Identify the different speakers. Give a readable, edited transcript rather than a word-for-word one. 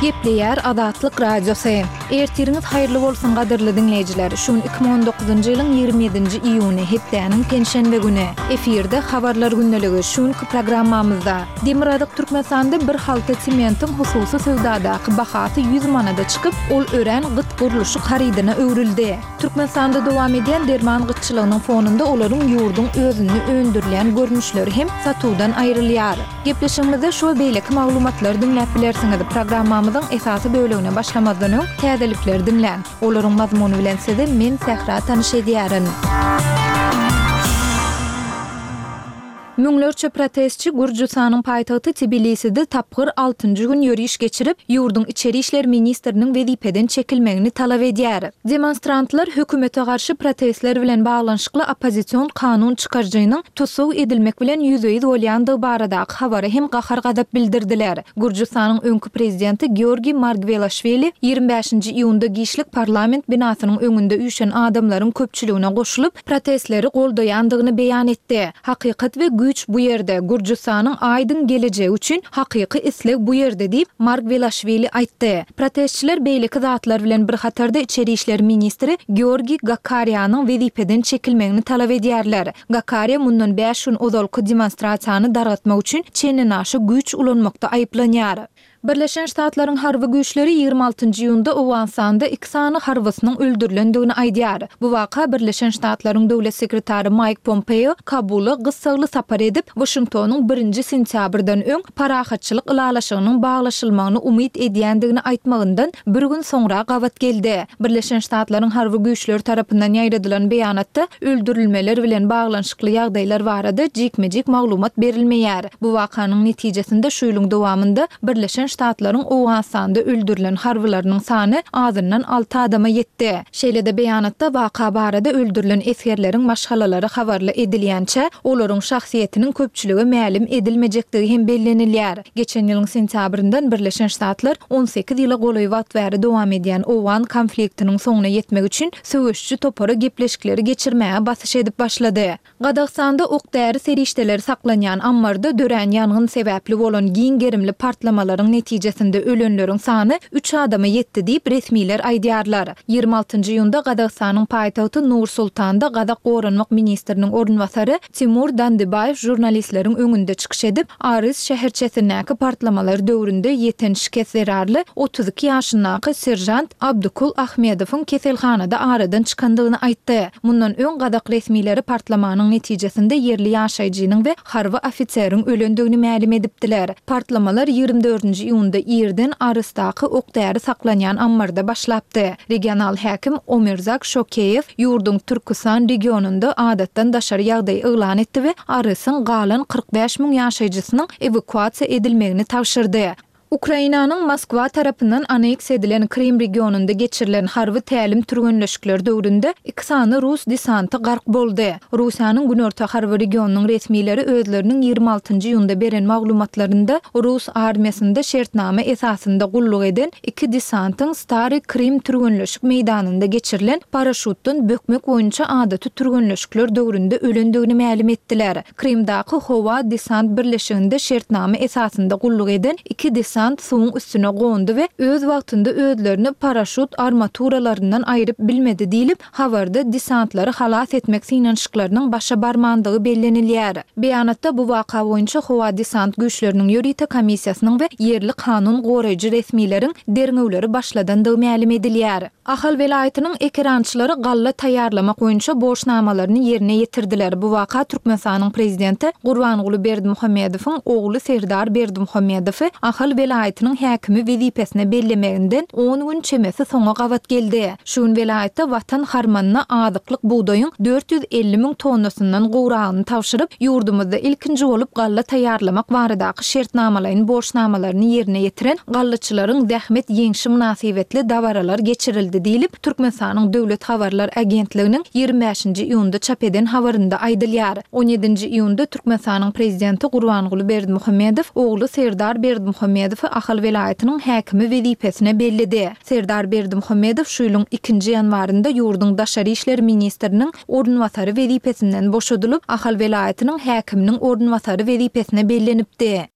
Speaker 1: Gepleýär Azatlyk Radiosy. Ertiriňiz haýyrly bolsun gadyrly diňleýjiler. Şu gün 2019-njy ýylyň 27-nji iýuny, hepdäniň penşenbe güni. Efirde Habarlar gündeligi. Şu günki programmamyzda Demirgazyk Türkmenistanda bir halta sementiň hususy söwdadaky bahasy 100 manada çykyp, ol örän gyt gurluşyk harydyna öwrüldi. Türkmenistanda dowam edýän derman gytçylygynyň fonunda olaryň ýurduň özünde öndürilýän görnüşleri hem satuwdan aýrylýar. Gepleşigimizde şu we beýleki maglumatlary diňläp bilersiňiz. Programmamyzyň esasy bölegine başlamazdan öň, täzelikleri diňläň. Olaryň mazmuny bilen sizi men Sähra tanyş edýärin. Müňlerçe protestçi Gürjüstanyň paýtagty Tbiliside tapgyr altynjy gün ýöriş geçirip, ýurduň içeri işler ministriniň wezipeden çekilmegini talap edýär. Demonstrantlar hökümete garşy protestler bilen baglanyşykly oppozision kanun çykaryjynyň tussag edilmek bilen ýüzbe-ýüz bolýandygy baradaky habara hem gahar-gazap bildirdiler. Gürjüstanyň öňki prezidenti Georgiý Margwelaşwili 25-nji iýunda giçlik parlament binasynyň öňünde üýşen adamlaryň köpçüligine goşulyp, protestleri goldaýandygyny beýan etdi. Hakykat we güýç bu ýerde, Gürjüstanyň aýdyň gelejegi üçin hakyky isleg bu ýerde diýip, Margwelaşwili aýtdy. Protestçiler beýleki zatlar bilen bir hatarda içeri işler ministri Georgiý Gakarianyň wezipeden çekilmegini talap edýärler. Gakaria mundan bäş gün ozalky demonstrasiýany dargatmak üçin çendenaşa güýç ulanmakda aýyplanýar. Birleşen Ştatlaryň harby güýçleri 26 nji iýunda Owganystanda iki sany harbysynyň öldürilendigini aýdýar. Bu waka Birleşen Ştatlaryň döwlet sekretary Maýk Pompeo Kabula gyssagly sapar edip, Waşingtonyň birinji sentýabrdan öň parahatçylyk ylalaşygynyň baglaşylmagyny umyt edýändigini aýtmagyndan bir gün soňra gabat geldi. Birleşen Ştatlaryň harby güýçleri tarapyndan ýaýradylan beýanatda öldürilmeler bilen baglanyşykly ýagdaýlar barada jikme-jik maglumat berilmeýär. Bu wakanyň netijesinde şu ýylyň dowamynda Birleşen Ştatlaryň Owganystanda öldürilen harbylarynyň sany azyndan alty adama ýetdi. Şeýle-de beýanatda waka barada öldürilen esgerleriň maşgalalary habarly edilýänçä, olaryň şahsyýetiniň köpçülige mälim edilmejekdigi hem bellenilýär. Geçen ýylyň sentýabryndan Birleşen Ştatlar 18 ýyla golaý wagt bäri dowam edýän owgan konfliktiniň soňuna ýetmek üçin söweşiji topara gepleşikleri geçirmäge basyş edip başlady. Gazagystanda ok-däri serişdeleri saklanýan ammarda dörän ýangyn sebäpli bolan giň gerimli partlamalaryň netijesinde ölenleriň sany üç adama ýetdi diýip, resmiler aýdýarlar. 26 iýunda Gazagystanyň paýtagty Nur-Sultanda gazak goranmak ministriniň orunbasary Timur Dandybaýew žurnalistleriň öňünde çykyş edip, Arys şäherçesindäki partlamalar döwründe ýeten şikes zerarly 32 ýaşyndaky seržant Abdukul Ahmedowyň keselhanada aradan çykandygyny aýtdy. Mundan öň gazak resmileri partlamanyň netijesinde ýerli ýaşaýjynyň we harby ofiseriň ölendigini mälim edipdiler. Partlamalar 24-nji iýunda irden Arysdaky ok-däri saklanýan ammarda başlapdy. Regional häkim Omirzak Şokeýew ýurduň Türküstan regionynda adatdan daşary ýagdaý yglan etdi we Arysyň galan 45 müň ýaşaýjysynyň ewakuasiýa edilmegini tabşyrdy. Ukrainanyň Moskwa tarapyndan aneksiýa edilen Krym regionynda geçirilen harby tälim-türgenleşikler döwründe iki sany rus desanty gark boldy. Russiýanyň Günorta harby regionynyň resmileri özleriniň 26 iýunda beren maglumatlarynda rus armiýasynda şertnama esasynda gulluk eden iki desantyň Stary Krym türgenleşik meýdanynda geçirilen paraşutdan bökmek boýunça adaty türgenleşikler döwründe ölendigini mälim etdiler. Krymdaky howa desant birleşiginde şertnama esasynda gulluk eden iki desant suwuň üstüne gondy we öz wagtynda özlerini paraşut armaturalaryndan aýryp bilmedi diýlip, habarda desantlary halas etmek synanyşyklarynyň başa barmandygy bellenilýär. Beýanatda bu waka boýunça howa desant güýçleriniň ýörite komissiýasynyň we ýerli kanun goraýjy resmileriň derňewleri başladandygy mälim edilýär. Ahal welaýatynyň ekerançylary galla taýýarlamak boýunça borçnamalaryny ýerine ýetirdiler. Bu waka Türkmenistanyň Prezidenti Gurbanguly Berdimuhamedowyň ogly Serdar Berdimuhamedowy Ahal welaýatynyň häkimi wezipesine bellemeginden on gün çemesi soňa gabat geldi. Şu gün welaýatda Watan harmanyna azyklyk bugdaýyň 450 müň tonnasyndan gowragyny tabşyryp, ýurdumyzda ilkinji bolup galla taýýarlamak baradaky şertnamalaýyn borçnamalaryny ýerine ýetiren gallaçylaryň zähmet ýeňşi mynasybetli dabaralar geçirildi diýlip, Türkmenistanyň Döwlet habarlar agentliginiň 25-nji iýunda çap eden habarynda aýdylýar. On ýedinji iýunda Türkmenistanyň Prezidenti Gurbanguly Berdimuhamedow ogly Serdar Berdimuhamedowy Ahal welaýatynyň häkimi wezipesine belledi. Serdar Berdimuhamedow şu ýylyň ikinji ýanwarynda ýurduň daşary işler ministriniň orunbasary wezipesinden boşadylyp, Ahal welaýatynyň häkiminiň orunbasary wezipesine bellenipdi.